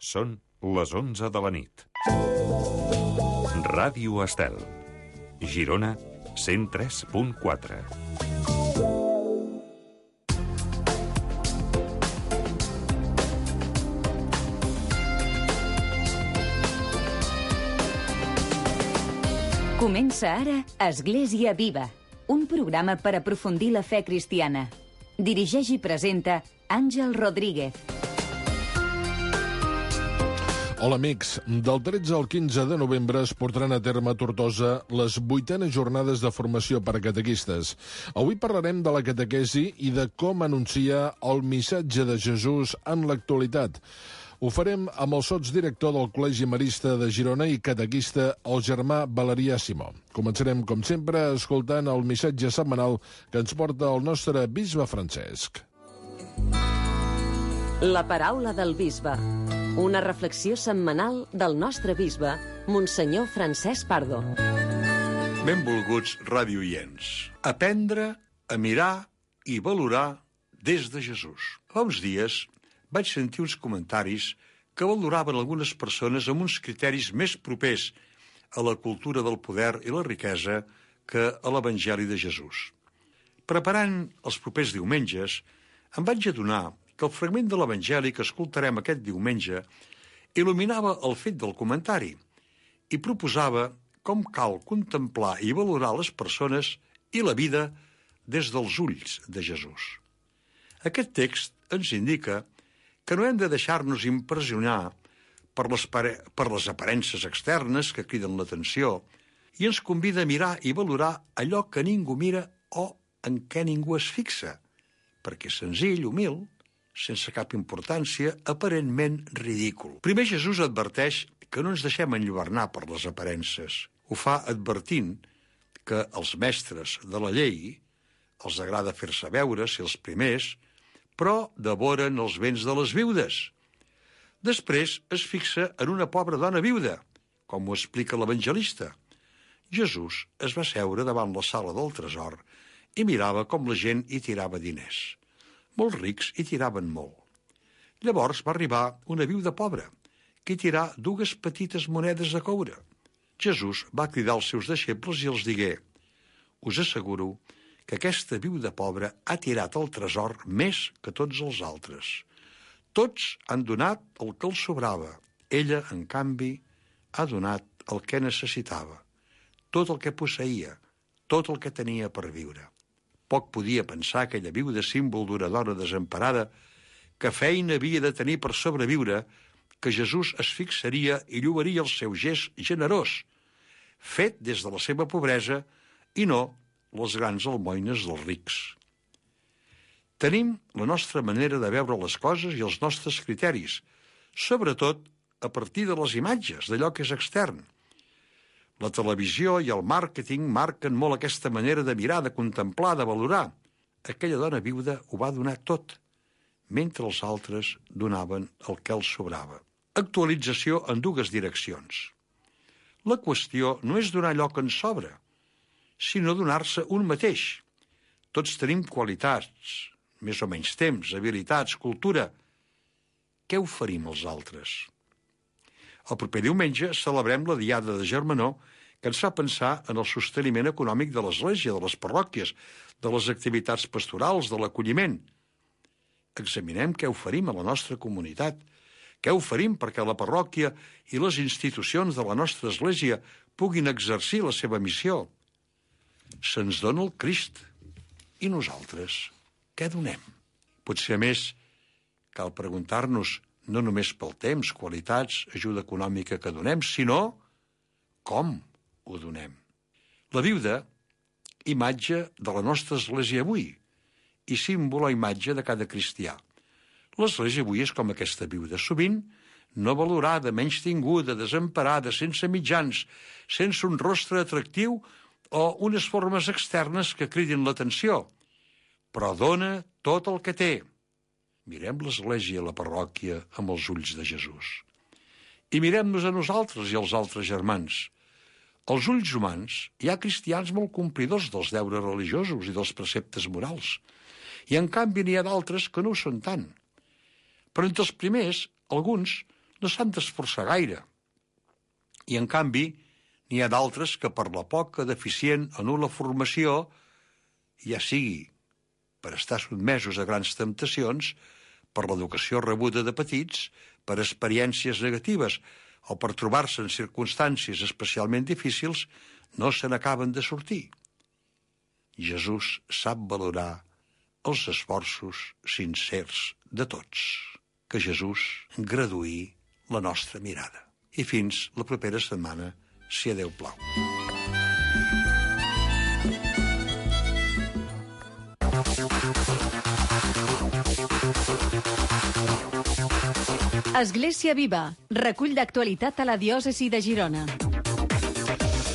Són les 11 de la nit. Ràdio Estel. Girona, 103.4. Comença ara Església Viva, un programa per aprofundir la fe cristiana. Dirigeix i presenta Àngel Rodríguez. Hola amics, del 13 al 15 de novembre es portaran a terme a Tortosa les 8enes jornades de formació per a catequistes. Avui parlarem de la catequesi i de com anuncia el missatge de Jesús en l'actualitat. Ho farem amb el sotsdirector del Col·legi Marista de Girona i catequista, el germà Valerià Simó. Començarem, com sempre, escoltant el missatge setmanal que ens porta el nostre bisbe Francesc. La paraula del bisbe. Una reflexió setmanal del nostre bisbe, Monsenyor Francesc Pardo. Benvolguts radioients. Aprendre a mirar i valorar des de Jesús. Fa uns dies vaig sentir uns comentaris que valoraven algunes persones amb uns criteris més propers a la cultura del poder i la riquesa que a l'Evangeli de Jesús. Preparant els propers diumenges, em vaig adonar que el fragment de l'Evangeli que escoltarem aquest diumenge il·luminava el fet del comentari i proposava com cal contemplar i valorar les persones i la vida des dels ulls de Jesús. Aquest text ens indica que no hem de deixar-nos impressionar per les aparences externes que criden l'atenció i ens convida a mirar i valorar allò que ningú mira o en què ningú es fixa, perquè és senzill, humil, sense cap importància, aparentment ridícul. Primer Jesús adverteix que no ens deixem enlluernar per les aparences. Ho fa advertint que als mestres de la llei els agrada fer-se veure ser els primers, però devoren els béns de les viudes. Després es fixa en una pobra dona viuda, com ho explica l'evangelista. Jesús es va seure davant la sala del tresor i mirava com la gent hi tirava diners. Molts rics hi tiraven molt. Llavors va arribar una viuda pobra, que hi tirà 2 petites monedes de coure. Jesús va cridar als seus deixebles i els digué: us asseguro que aquesta viuda pobra ha tirat el tresor més que tots els altres. Tots han donat el que els sobrava. Ella, en canvi, ha donat el que necessitava, tot el que posseïa, tot el que tenia per viure. Poc podia pensar aquella viuda, símbol d'una dona desemparada, que feina havia de tenir per sobreviure, que Jesús es fixaria i lloaria el seu gest generós, fet des de la seva pobresa i no les grans almoines dels rics. Tenim la nostra manera de veure les coses i els nostres criteris, sobretot a partir de les imatges, d'allò que és extern. La televisió i el màrqueting marquen molt aquesta manera de mirar, de contemplar, de valorar. Aquella dona viuda ho va donar tot, mentre els altres donaven el que els sobrava. Actualització en 2 direccions. La qüestió no és donar allò que ens sobra, sinó donar-se un mateix. Tots tenim qualitats, més o menys temps, habilitats, cultura. Què oferim als altres? El proper diumenge celebrem la Diada de Germanor, que ens fa pensar en el sosteniment econòmic de l'Església, de les parròquies, de les activitats pastorals, de l'acolliment. Examinem què oferim a la nostra comunitat, què oferim perquè la parròquia i les institucions de la nostra Església puguin exercir la seva missió. Se'ns dona el Crist, i nosaltres què donem? Potser, a més, cal preguntar-nos no només pel temps, qualitats, ajuda econòmica que donem, sinó com ho donem. La viuda, imatge de la nostra Església avui i símbol o imatge de cada cristià. L'Església avui és com aquesta viuda, sovint no valorada, menystinguda, desemparada, sense mitjans, sense un rostre atractiu o unes formes externes que cridin l'atenció, però dona tot el que té. Mirem l'Església i la parròquia amb els ulls de Jesús. I mirem-nos a nosaltres i als altres germans. Als ulls humans hi ha cristians molt complidors dels deures religiosos i dels preceptes morals, i en canvi n'hi ha d'altres que no ho són tant. Però entre els primers, alguns no s'han d'esforçar gaire. I, en canvi, n'hi ha d'altres que per la poca, deficient o nul·la formació, ja sigui per estar sotmesos a grans temptacions, per l'educació rebuda de petits, per experiències negatives o per trobar-se en circumstàncies especialment difícils, no se n'acaben de sortir. Jesús sap valorar els esforços sincers de tots. Que Jesús graduï la nostra mirada. I fins la propera setmana, si a Déu plau. Església Viva, recull d'actualitat a la diòcesi de Girona.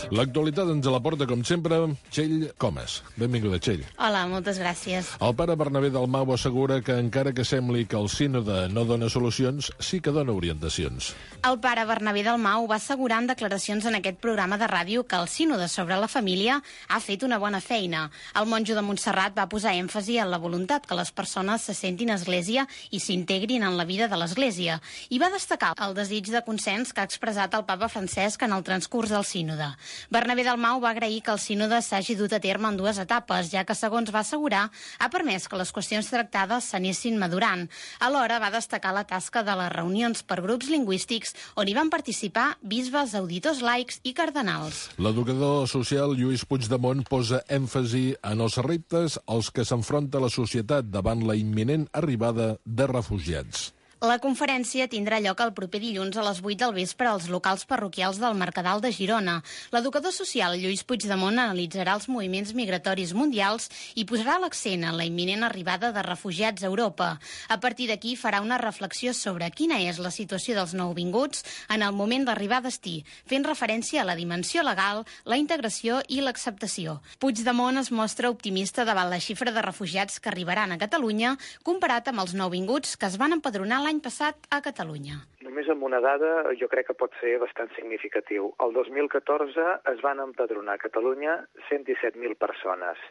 L'actualitat ens la porta, com sempre, Txell Comas. Benvinguda, Txell. Hola, moltes gràcies. El pare Bernabé Dalmau assegura que, encara que sembli que el sínode no dona solucions, sí que dona orientacions. El pare Bernabé Dalmau va assegurar en declaracions en aquest programa de ràdio que el sínode sobre la família ha fet una bona feina. El monjo de Montserrat va posar èmfasi en la voluntat que les persones se sentin església i s'integrin en la vida de l'església. I va destacar el desig de consens que ha expressat el papa Francesc en el transcurs del sínode. Bernabé Dalmau va agrair que el sínode s'hagi dut a terme en 2 etapes, ja que, segons va assegurar, ha permès que les qüestions tractades s'anessin madurant. Alhora va destacar la tasca de les reunions per grups lingüístics on hi van participar bisbes, auditors laics i cardenals. L'educador social Lluís Puigdemont posa èmfasi en els reptes als que s'enfronta la societat davant la imminent arribada de refugiats. La conferència tindrà lloc el proper dilluns a les 8 del vespre als locals parroquials del Mercadal de Girona. L'educador social Lluís Puigdemont analitzarà els moviments migratoris mundials i posarà l'accent en la imminent arribada de refugiats a Europa. A partir d'aquí farà una reflexió sobre quina és la situació dels nouvinguts en el moment d'arribar a destí, fent referència a la dimensió legal, la integració i l'acceptació. Puigdemont es mostra optimista davant la xifra de refugiats que arribaran a Catalunya, comparat amb els nouvinguts que es van empadronar l'any passat a Catalunya. Només amb una dada jo crec que pot ser bastant significatiu. El 2014 es van empadronar a Catalunya 117.000 persones.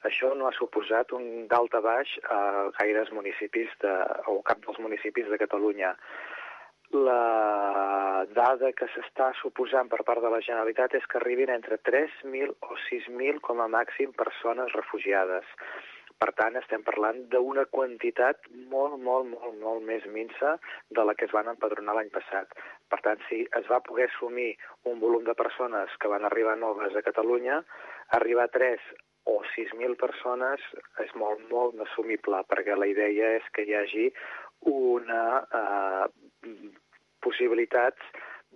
Això no ha suposat un dalt a baix a gaires municipis o cap dels municipis de Catalunya. La dada que s'està suposant per part de la Generalitat és que arribin entre 3.000 o 6.000 com a màxim persones refugiades. Per tant, estem parlant d'una quantitat molt més minsa de la que es van empadronar l'any passat. Per tant, si es va poder assumir un volum de persones que van arribar noves a Catalunya, arribar a 3 o 6.000 persones és molt assumible, perquè la idea és que hi hagi una possibilitat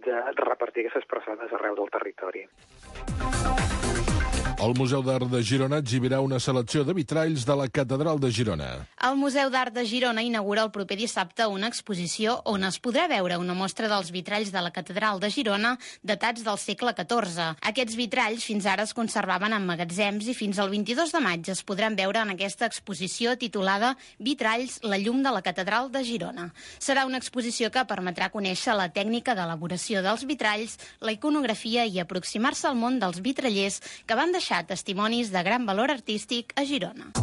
de repartir aquestes persones arreu del territori. El Museu d'Art de Girona exhibirà una selecció de vitralls de la Catedral de Girona. El Museu d'Art de Girona inaugura el proper dissabte una exposició on es podrà veure una mostra dels vitralls de la Catedral de Girona datats del segle XIV. Aquests vitralls fins ara es conservaven en magatzems i fins al 22 de maig es podran veure en aquesta exposició titulada Vitralls, la llum de la Catedral de Girona. Serà una exposició que permetrà conèixer la tècnica d'elaboració dels vitralls, la iconografia i aproximar-se al món dels vitrallers que van deixar testimonis de gran valor artístic a Girona.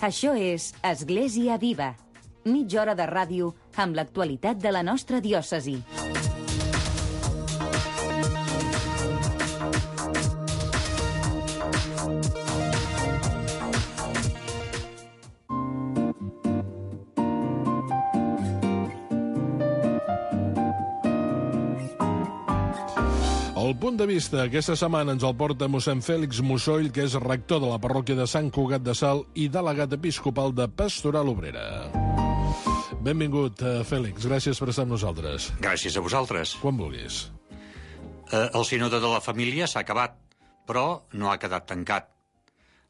Això és Església Viva. Mitja hora de ràdio amb l'actualitat de la nostra diòcesi. El punt de vista aquesta setmana ens el porta mossèn Fèlix Mussoll, que és rector de la parròquia de Sant Cugat de Salt i delegat episcopal de Pastoral Obrera. Benvingut, Fèlix. Gràcies per estar amb nosaltres. Gràcies a vosaltres. Quan vulguis. El sínode de la família s'ha acabat, però no ha quedat tancat.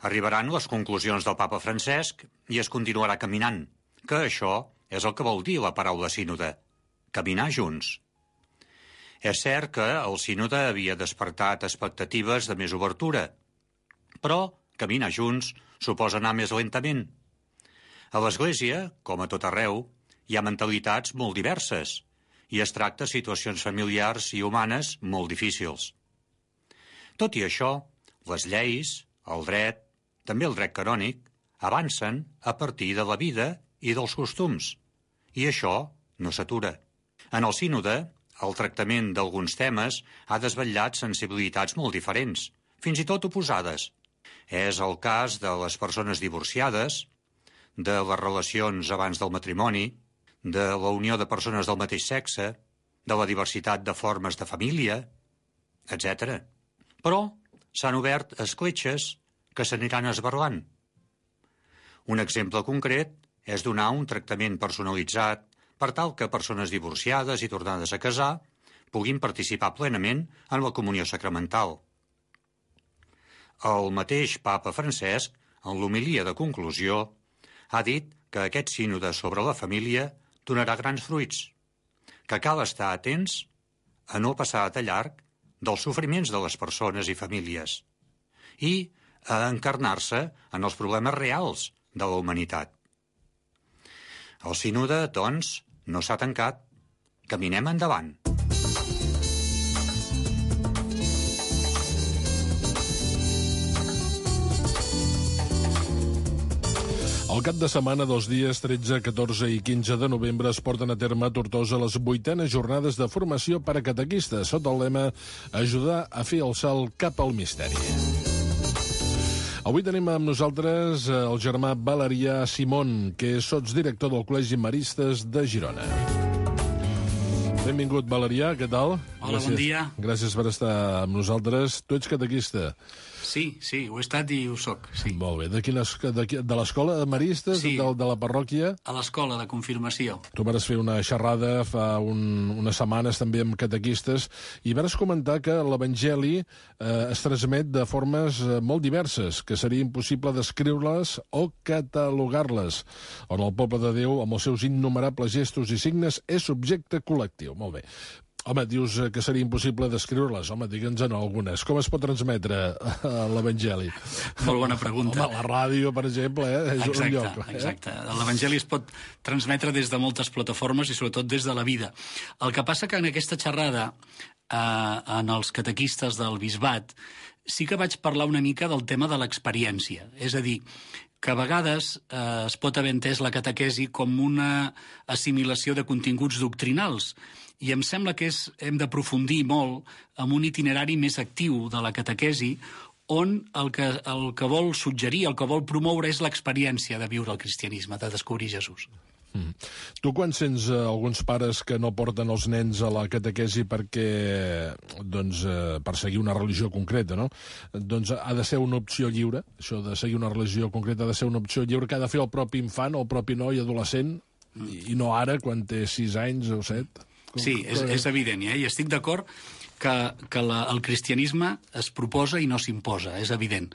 Arribaran les conclusions del papa Francesc i es continuarà caminant, que això és el que vol dir la paraula sínode, caminar junts. És cert que el sínode havia despertat expectatives de més obertura, però caminar junts suposa anar més lentament. A l'Església, com a tot arreu, hi ha mentalitats molt diverses i es tracta situacions familiars i humanes molt difícils. Tot i això, les lleis, el dret, també el dret canònic, avancen a partir de la vida i dels costums I això no s'atura. En el sínode, el tractament d'alguns temes ha desvetllat sensibilitats molt diferents, fins i tot oposades. És el cas de les persones divorciades, de les relacions abans del matrimoni, de la unió de persones del mateix sexe, de la diversitat de formes de família, etc. Però s'han obert escletxes que s'aniran esberlant. Un exemple concret és donar un tractament personalitzat per tal que persones divorciades i tornades a casar puguin participar plenament en la comunió sacramental. El mateix papa Francesc, en l'homilia de conclusió, ha dit que aquest sínode sobre la família donarà grans fruits, que cal estar atents a no passar de llarg dels sofriments de les persones i famílies i a encarnar-se en els problemes reals de la humanitat. El sínode, doncs, no s'ha tancat. Caminem endavant. Al cap de setmana, dels dies 13, 14 i 15 de novembre, es porten a terme a Tortosa les 8enes jornades de formació per a catequistes, sota el lema Ajudar a fer el salt cap al misteri. Avui tenim amb nosaltres el germà Valerià Simón, que és sotsdirector del Col·legi Maristes de Girona. Benvingut, Valerià, què tal? Hola, gràcies. Bon dia. Gràcies per estar amb nosaltres. Tu ets catequista. Sí, ho he estat i ho soc, sí. Molt bé. De l'escola de Maristes, sí. de la parròquia? A l'escola de confirmació. Tu vas fer una xerrada fa unes setmanes també amb catequistes i vas comentar que l'Evangeli es transmet de formes molt diverses, que seria impossible descriure-les o catalogar-les, on el poble de Déu, amb els seus innumerables gestos i signes, és subjecte col·lectiu. Molt bé. Home, dius que seria impossible descriure-les. Home, digue'ns-en algunes. Com es pot transmetre l'Evangeli? Molt bona pregunta. Home, la ràdio, per exemple, és un lloc. Exacte. L'Evangeli es pot transmetre des de moltes plataformes i sobretot des de la vida. El que passa que en aquesta xerrada, en els catequistes del bisbat, sí que vaig parlar una mica del tema de l'experiència. És a dir, que a vegades es pot haver entès la catequesi com una assimilació de continguts doctrinals, i em sembla que hem d'aprofundir molt en un itinerari més actiu de la catequesi, on el que vol suggerir, el que vol promoure és l'experiència de viure el cristianisme, de descobrir Jesús. Tu quan sents alguns pares que no porten els nens a la catequesi perquè, per seguir una religió concreta, no? Doncs ha de ser una opció lliure, això de seguir una religió concreta ha de ser una opció lliure que ha de fer el propi infant o el propi noi adolescent, i no ara, quan té 6 anys o 7. Sí, és evident, i estic d'acord que el cristianisme es proposa i no s'imposa, és evident.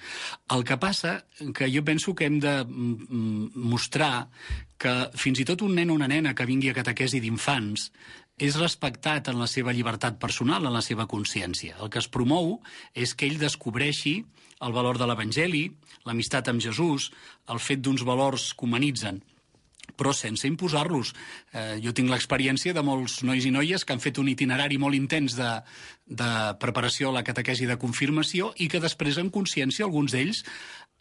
El que passa que jo penso que hem de mostrar que fins i tot un nen o una nena que vingui a catequesi d'infants és respectat en la seva llibertat personal, en la seva consciència. El que es promou és que ell descobreixi el valor de l'Evangeli, l'amistat amb Jesús, el fet d'uns valors que humanitzen, però sense imposar-los. Jo tinc l'experiència de molts nois i noies que han fet un itinerari molt intens de preparació a la catequesi de confirmació i que després, en consciència, alguns d'ells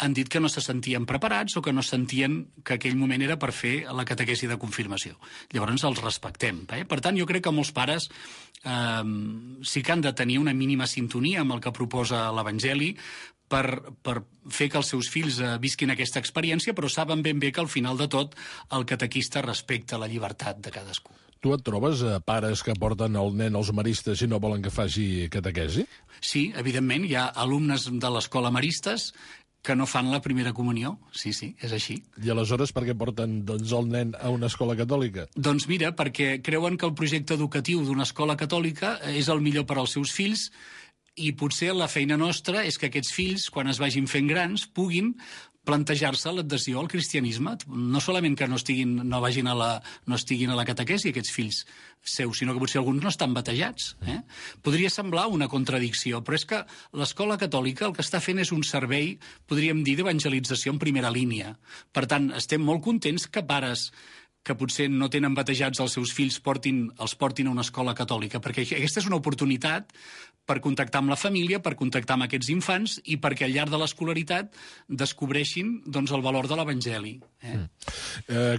han dit que no se sentien preparats o que no sentien que aquell moment era per fer la catequesi de confirmació. Llavors els respectem. Per tant, jo crec que molts pares sí que han de tenir una mínima sintonia amb el que proposa l'Evangeli per fer que els seus fills visquin aquesta experiència, però saben ben bé que al final de tot el catequista respecta la llibertat de cadascú. Tu et trobes pares que porten el nen als maristes i no volen que faci catequesi? Sí, evidentment, hi ha alumnes de l'escola Maristes que no fan la primera comunió. Sí, és així. I aleshores per què porten el nen a una escola catòlica? Doncs mira, perquè creuen que el projecte educatiu d'una escola catòlica és el millor per als seus fills i potser la feina nostra és que aquests fills, quan es vagin fent grans, puguin plantejar-se l'adhesió al cristianisme. No solament que no estiguin a la catequesi aquests fills seus, sinó que potser alguns no estan batejats. Podria semblar una contradicció, però és que l'escola catòlica el que està fent és un servei, podríem dir, d'evangelització en primera línia. Per tant, estem molt contents que pares que potser no tenen batejats els seus fills els portin a una escola catòlica, perquè aquesta és una oportunitat per contactar amb la família, per contactar amb aquests infants i perquè al llarg de l'escolaritat descobreixin doncs, el valor de l'Evangeli.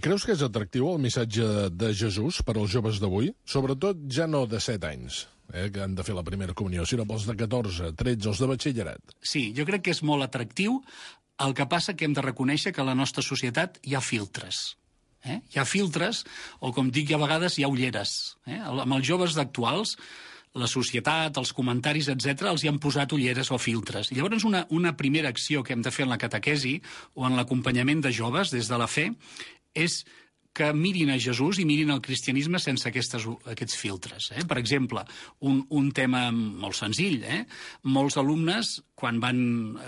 Creus que és atractiu el missatge de Jesús per als joves d'avui? Sobretot ja no de 7 anys, que han de fer la primera comunió, sinó pels de 14, 13, els de batxillerat. Sí, jo crec que és molt atractiu. El que passa que hem de reconèixer que a la nostra societat hi ha filtres. Hi ha filtres, o com dic a vegades, hi ha ulleres. Amb els joves actuals, la societat, els comentaris, etc., els hi han posat ulleres o filtres. I llavors una primera acció que hem de fer en la catequesi o en l'acompanyament de joves des de la fe és que mirin a Jesús i mirin el cristianisme sense aquests filtres. Per exemple, un tema molt senzill. Molts alumnes, quan van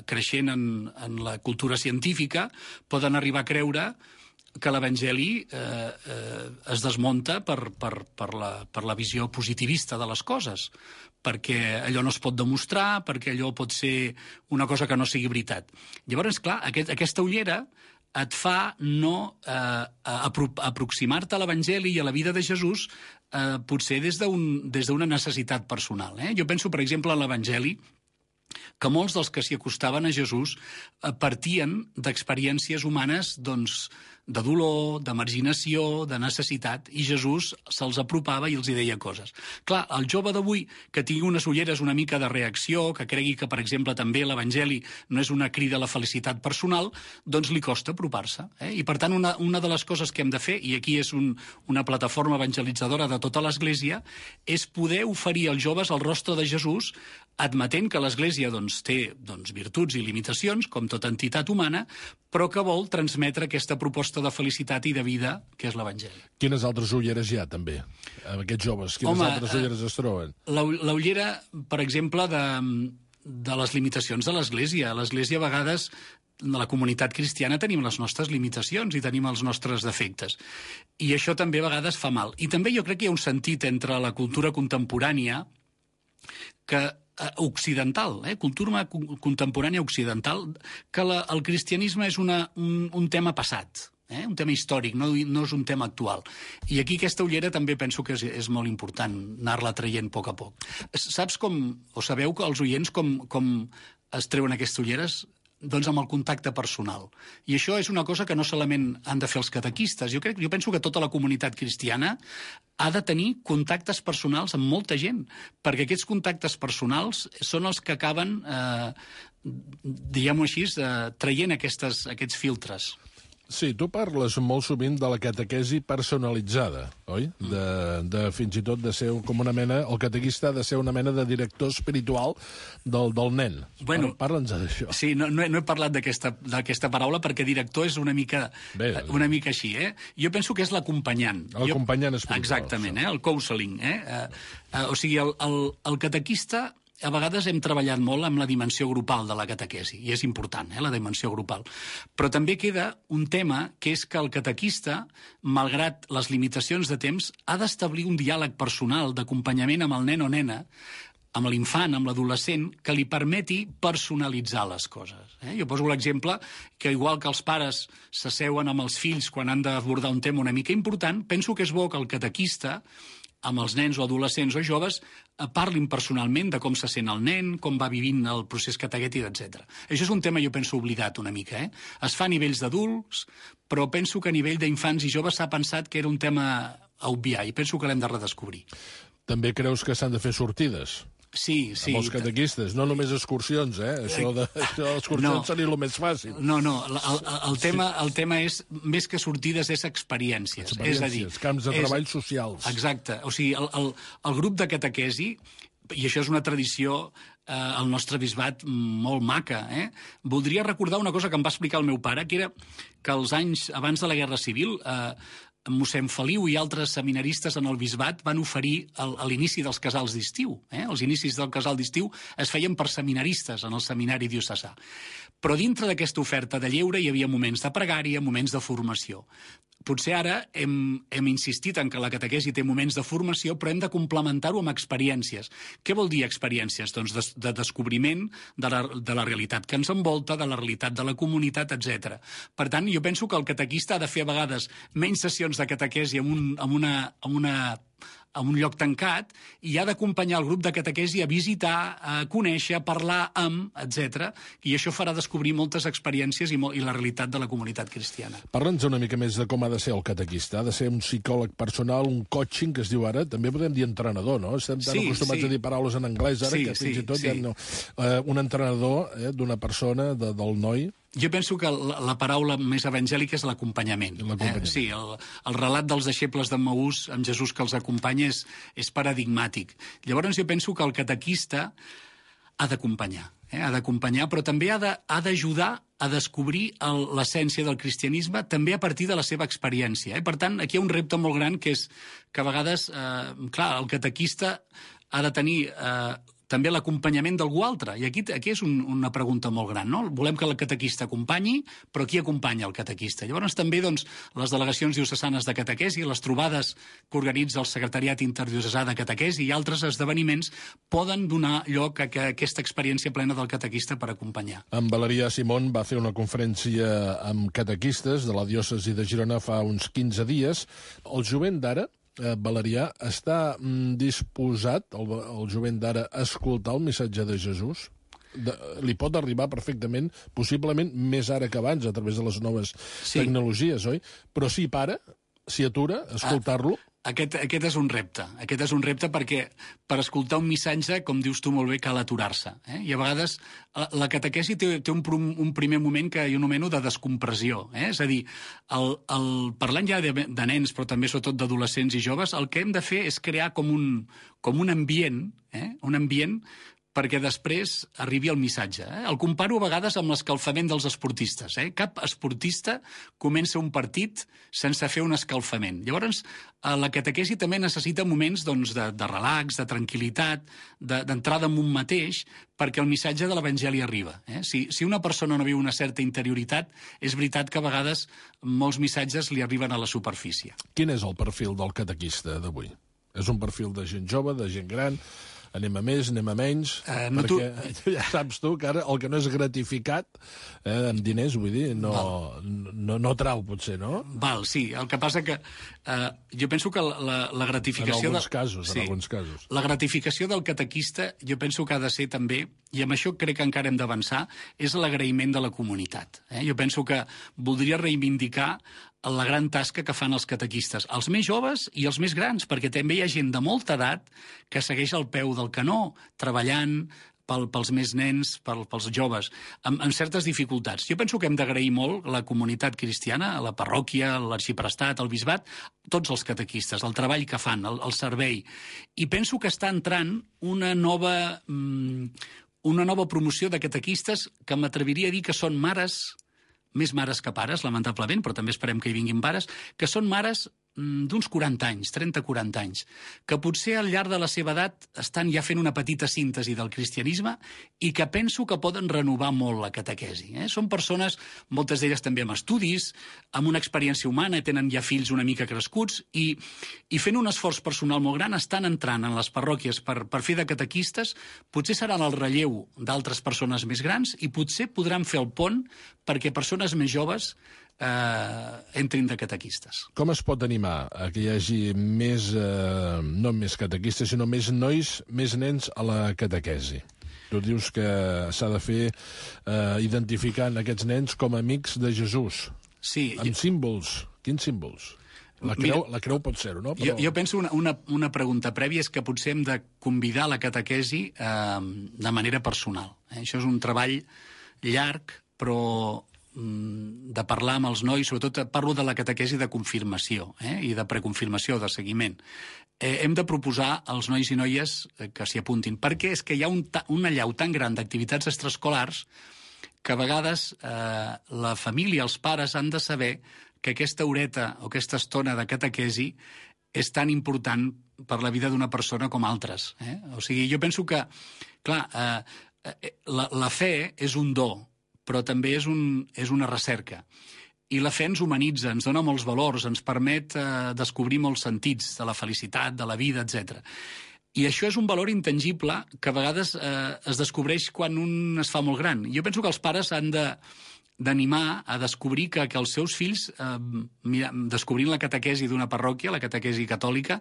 creixent en la cultura científica, poden arribar a creure que l'Evangeli es desmunta per la visió positivista de les coses, perquè allò no es pot demostrar, perquè allò pot ser una cosa que no sigui veritat. Llavors, clar, aquesta ullera et fa no aproximar-te a l'Evangeli i a la vida de Jesús potser des d'una necessitat personal. Jo penso, per exemple, en l'Evangeli, que molts dels que s'hi acostaven a Jesús partien d'experiències humanes, doncs, de dolor, de marginació, de necessitat, i Jesús se'ls apropava i els hi deia coses. Clar, el jove d'avui que tingui unes ulleres una mica de reacció, que cregui que, per exemple, també l'Evangeli no és una crida a la felicitat personal, doncs li costa apropar-se. I, per tant, una de les coses que hem de fer, i aquí és una plataforma evangelitzadora de tota l'Església, és poder oferir als joves el rostre de Jesús, admetent que l'Església té virtuts i limitacions, com tota entitat humana, però que vol transmetre aquesta proposta de felicitat i de vida, que és l'Evangeli. Quines altres ulleres hi ha, també, amb aquests joves? Quines altres ulleres es troben? La ullera, per exemple, de les limitacions de l'Església. A l'Església, a vegades, de la comunitat cristiana tenim les nostres limitacions i tenim els nostres defectes. I això també a vegades fa mal. I també jo crec que hi ha un sentit entre la cultura contemporània occidental, cultura contemporània occidental, que el cristianisme és un tema passat, un tema històric, no és un tema actual. I aquí aquesta ullera també penso que és molt important anar-la traient a poc a poc. Saps o sabeu que els oients com es treuen aquestes ulleres? Doncs amb el contacte personal. I això és una cosa que no solament han de fer els catequistes. Jo penso que tota la comunitat cristiana ha de tenir contactes personals amb molta gent, perquè aquests contactes personals són els que acaben, diguem-ho així, traient aquests filtres. Sí, tu parles molt sovint de la catequesi personalitzada, oi? Fins i tot de ser com una mena... El catequista ha de ser una mena de director espiritual del nen. Bueno, parla'ns d'això. Sí, no he parlat d'aquesta paraula perquè director és una mica així. Jo penso que és l'acompanyant. L'acompanyant espiritual. Exactament, el counseling. O sigui, el catequista... A vegades hem treballat molt amb la dimensió grupal de la catequesi, i és important, la dimensió grupal. Però també queda un tema, que és que el catequista, malgrat les limitacions de temps, ha d'establir un diàleg personal d'acompanyament amb el nen o nena, amb l'infant, amb l'adolescent, que li permeti personalitzar les coses. Jo poso l'exemple que, igual que els pares s'asseuen amb els fills quan han d'abordar un tema una mica important, penso que és bo que el catequista, amb els nens o adolescents o joves, parlin personalment de com se sent el nen, com va vivint el procés catequètic, etc. Això és un tema, jo penso, oblidat una mica. Es fa a nivells d'adults, però penso que a nivell d'infants i joves s'ha pensat que era un tema a obviar, i penso que l'hem de redescobrir. També creus que s'han de fer sortides? Sí. Amb els catequistes, no només excursions, Això d'excursions seria el més fàcil. No, el tema és, més que sortides, és experiències. És a dir, camps de treball socials. Exacte. O sigui, el grup de catequesi, i això és una tradició al nostre bisbat molt maca, voldria recordar una cosa que em va explicar el meu pare, que era que els anys abans de la Guerra Civil... mossèn Feliu i altres seminaristes en el bisbat van oferir a l'inici dels casals d'estiu. Els inicis del casal d'estiu es feien per seminaristes en el seminari diocesà. Però dintre d'aquesta oferta de lleure hi havia moments de pregària, moments de formació. potser ara hem insistit en que la catequesi té moments de formació, però hem de complementar-ho amb experiències. Què vol dir experiències? Doncs de descobriment de la realitat que ens envolta, de la realitat de la comunitat, etc. Per tant, jo penso que el catequista ha de fer a vegades menys sessions de catequesi en un lloc tancat i ha d'acompanyar el grup de catequesi a visitar, a conèixer, a parlar amb, etc. I això farà descobrir moltes experiències i la realitat de la comunitat cristiana. Parla'ns una mica més de com ha de ser el catequista. Ha de ser un psicòleg personal, un coaching, que es diu ara. També podem dir entrenador, no? Estem tan acostumats a dir paraules en anglès ara que fins i tot ja no. Un entrenador d'una persona, del noi. Jo penso que la paraula més evangèlica és l'acompanyament. Sí, el relat dels deixebles d'Emmaús amb Jesús que els acompanya és paradigmàtic. Llavors jo penso que el catequista ha d'acompanyar, però també ha d'ajudar a descobrir l'essència del cristianisme també a partir de la seva experiència. Per tant, aquí hi ha un repte molt gran que és que a vegades, el catequista ha de tenir també l'acompanyament d'algú altre. I aquí és una pregunta molt gran, no? Volem que el catequista acompanyi, però qui acompanya el catequista? Llavors també les delegacions diocesanes de catequesi, les trobades que organitza el Secretariat Interdiocesà de Catequesi i altres esdeveniments poden donar lloc a aquesta experiència plena del catequista per acompanyar. En Valerià Simón va fer una conferència amb catequistes de la diòcesi de Girona fa uns 15 dies. El jovent d'ara, Valerià, està disposat, el jovent d'ara, a escoltar el missatge de Jesús? Li pot arribar perfectament, possiblement més ara que abans, a través de les noves tecnologies, oi? Però si para, si atura, escoltar-lo... Aquest és un repte. Aquest és un repte perquè per escoltar un missatge, com dius tu molt bé, cal aturar-se. I a vegades la catequesi té un primer moment que jo anomeno de descompressió. És a dir, parlant ja de nens, però també sobretot d'adolescents i joves, el que hem de fer és crear com un ambient, perquè després arribi el missatge. El comparo a vegades amb l'escalfament dels esportistes. Cap esportista comença un partit sense fer un escalfament. Llavors, la catequesi també necessita moments de relax, de tranquil·litat, d'entrada en un mateix, perquè el missatge de l'Evangeli arriba. Si una persona no viu una certa interioritat, és veritat que a vegades molts missatges li arriben a la superfície. Quin és el perfil del catequista d'avui? És un perfil de gent jove, de gent gran... Anem a més, anem a menys, perquè ja saps tu que ara el que no és gratificat amb diners, vull dir, no trau, potser, no? Val, sí. El que passa que jo penso que la gratificació... En alguns casos. La gratificació del catequista jo penso que ha de ser també, i amb això crec que encara hem d'avançar, és l'agraïment de la comunitat. Jo penso que voldria reivindicar la gran tasca que fan els catequistes, els més joves i els més grans, perquè també hi ha gent de molta edat que segueix al peu del canó, treballant pels més nens, pels joves, amb certes dificultats. Jo penso que hem d'agrair molt la comunitat cristiana, la parròquia, l'arxiprestat, el bisbat, tots els catequistes, el treball que fan, el servei. I penso que està entrant una nova promoció de catequistes que m'atreviria a dir que són mares, més mares que pares, lamentablement, però també esperem que hi vinguin pares, que són mares d'uns 40 anys, 30-40 anys, que potser al llarg de la seva edat estan ja fent una petita síntesi del cristianisme i que penso que poden renovar molt la catequesi. Són persones, moltes d'elles també amb estudis, amb una experiència humana, tenen ja fills una mica crescuts i fent un esforç personal molt gran estan entrant en les parròquies per fer de catequistes, potser seran el relleu d'altres persones més grans i potser podran fer el pont perquè persones més joves entrin de catequistes. Com es pot animar a que hi hagi més, no més catequistes, sinó més nois, més nens a la catequesi? Tu dius que s'ha de fer identificant aquests nens com a amics de Jesús. Sí. Amb símbols. Quins símbols? La creu pot ser-ho, no? Però... Jo penso una pregunta prèvia és que potser hem de convidar la catequesi de manera personal. Això és un treball llarg, però de parlar amb els nois, sobretot parlo de la catequesi de confirmació i de preconfirmació, de seguiment. Hem de proposar als nois i noies que s'hi apuntin, perquè és que hi ha un allau tan gran d'activitats extraescolars que a vegades la família, els pares, han de saber que aquesta horeta o aquesta estona de catequesi és tan important per la vida d'una persona com altres. O sigui, jo penso que, clar, la fe és un do, però també és una recerca. I la fe ens humanitza, ens dona molts valors, ens permet descobrir molts sentits de la felicitat, de la vida, etc. I això és un valor intangible que a vegades es descobreix quan un es fa molt gran. Jo penso que els pares han d'animar a descobrir que els seus fills, descobrint la catequesi d'una parròquia, la catequesi catòlica,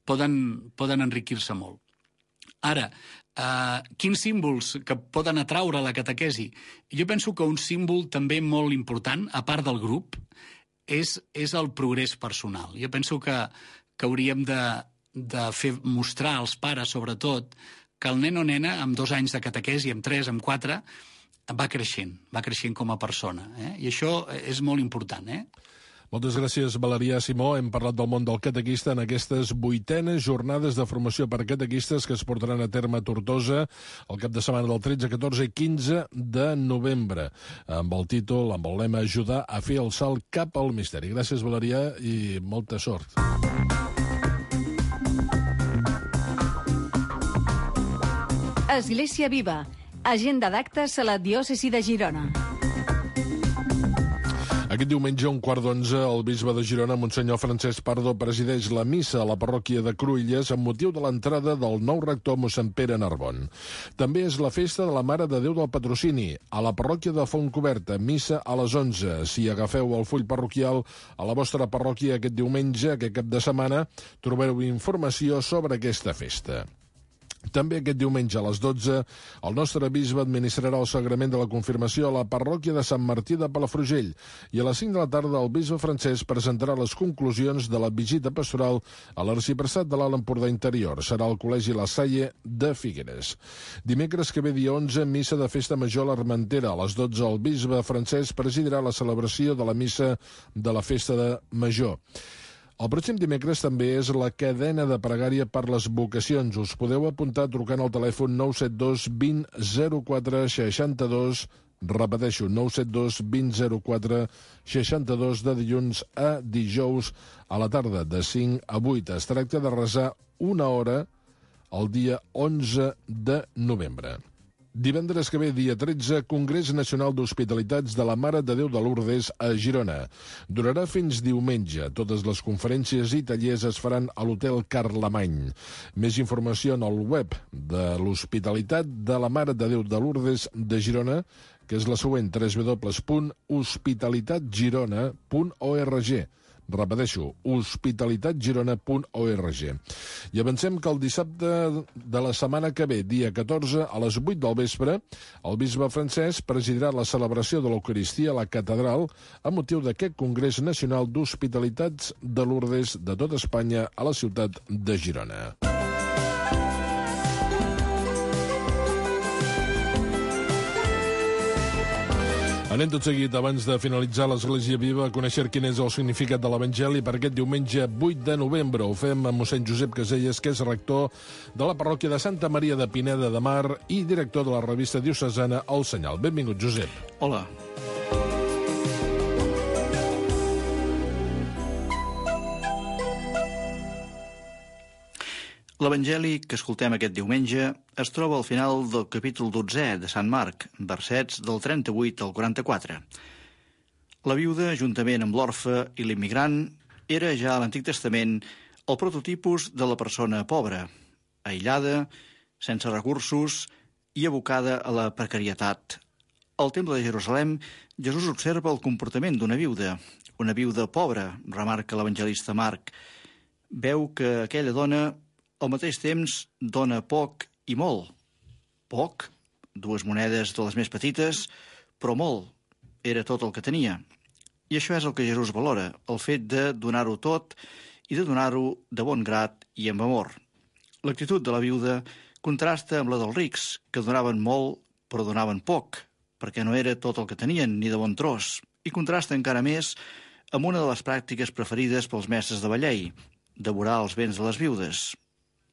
poden enriquir-se molt. Ara, quins símbols que poden atraure la catequesi? Jo penso que un símbol també molt important, a part del grup, és el progrés personal. Jo penso que hauríem de fer mostrar als pares, sobretot, que el nen o nena, amb 2 anys de catequesi, amb 3, amb 4, va creixent com a persona. I això és molt important. Moltes gràcies, Valerià Simó. Hem parlat del món del catequista en aquestes 8enes jornades de formació per catequistes que es portaran a terme a Tortosa el cap de setmana del 13, 14 i 15 de novembre, amb el títol, amb el lema Ajudar a fer el salt cap al misteri. Gràcies, Valerià, i molta sort. Església Viva. Agenda d'actes a la diòcesi de Girona. Aquest diumenge, a 11:15, el bisbe de Girona, Monsenyor Francesc Pardo, presideix la missa a la parròquia de Cruïlles amb motiu de l'entrada del nou rector mossèn Pere Narbon. També és la festa de la Mare de Déu del Patrocini, a la parròquia de Fontcoberta, missa a les 11. Si agafeu el full parroquial a la vostra parròquia aquest diumenge, aquest cap de setmana, trobareu informació sobre aquesta festa. També aquest diumenge a les 12 el nostre bisbe administrarà el sagrament de la confirmació a la parròquia de Sant Martí de Palafrugell i a les 5 de la tarda el bisbe Francesc presentarà les conclusions de la visita pastoral a l'arxipressat de l'Alt Empordà Interior. Serà al Col·legi La Salle de Figueres. Dimecres que ve, dia 11, missa de festa major a l'Armentera. A les 12 el bisbe Francesc presidirà la celebració de la missa de la festa de Major. El pròxim dimecres també és la cadena de pregària per les vocacions. Us podeu apuntar trucant al telèfon 972 20 04 62, repeteixo, 972 20 04 62, de dilluns a dijous a la tarda, de 5 a 8. Es tracta de resar 1 hora el dia 11 de novembre. Divendres que ve, dia 13, Congrés Nacional d'Hospitalitats de la Mare de Déu de Lourdes a Girona. Durarà fins diumenge. Totes les conferències i tallers es faran a l'Hotel Carlemany. Més informació en el web de l'Hospitalitat de la Mare de Déu de Lourdes de Girona, que és la següent, www.hospitalitatgirona.org. Repeteixo, hospitalitatgirona.org. I avancem que el dissabte de la setmana que ve, dia 14, a les 8 del vespre, el bisbe Francesc presidirà la celebració de l'Eucaristia a la catedral a motiu d'aquest Congrés Nacional d'Hospitalitats de Lourdes de tot Espanya a la ciutat de Girona. Anem tot seguit, abans de finalitzar l'Església Viva, a conèixer quin és el significat de l'Evangeli per aquest diumenge 8 de novembre. Ho fem amb mossèn Josep Caselles, que és rector de la parròquia de Santa Maria de Pineda de Mar i director de la revista diocesana El Senyal. Benvingut, Josep. Hola. L'Evangeli que escoltem aquest diumenge es troba al final del capítol 12 de Sant Marc, versets del 38 al 44. La viuda, juntament amb l'orfe i l'immigrant, era ja a l'Antic Testament el prototipus de la persona pobra, aïllada, sense recursos i abocada a la precarietat. Al Temple de Jerusalem, Jesús observa el comportament d'una viuda pobra, remarca l'evangelista Marc. Veu que aquella dona al mateix temps dona poc i molt. Poc, 2 monedes de les més petites, però molt, era tot el que tenia. I això és el que Jesús valora, el fet de donar-ho tot i de donar-ho de bon grat i amb amor. L'actitud de la viuda contrasta amb la dels rics, que donaven molt però donaven poc, perquè no era tot el que tenien ni de bon tros, i contrasta encara més amb una de les pràctiques preferides pels mestres de la llei, devorar els béns de les viudes.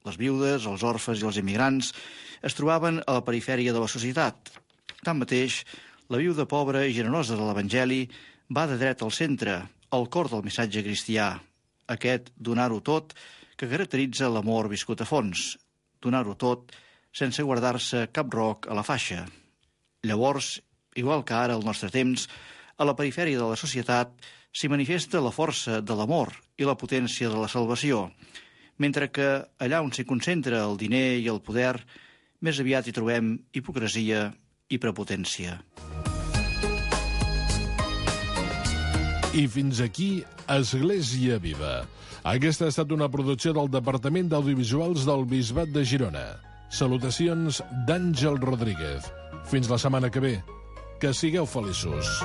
Les viudes, els orfes i els immigrants es trobaven a la perifèria de la societat. Tanmateix, la viuda pobra i generosa de l'Evangeli va de dret al centre, al cor del missatge cristià, aquest donar-ho tot que caracteritza l'amor viscut a fons, donar-ho tot sense guardar-se cap roc a la faixa. Llavors, igual que ara al nostre temps, A la perifèria de la societat s'hi manifesta la força de l'amor i la potència de la salvació, mentre que allà on s'hi concentra el diner i el poder, més aviat hi trobem hipocresia i prepotència. I fins aquí Església Viva. Aquesta ha estat una producció del Departament d'Audiovisuals del Bisbat de Girona. Salutacions d'Àngel Rodríguez. Fins la setmana que ve. Que sigueu feliços.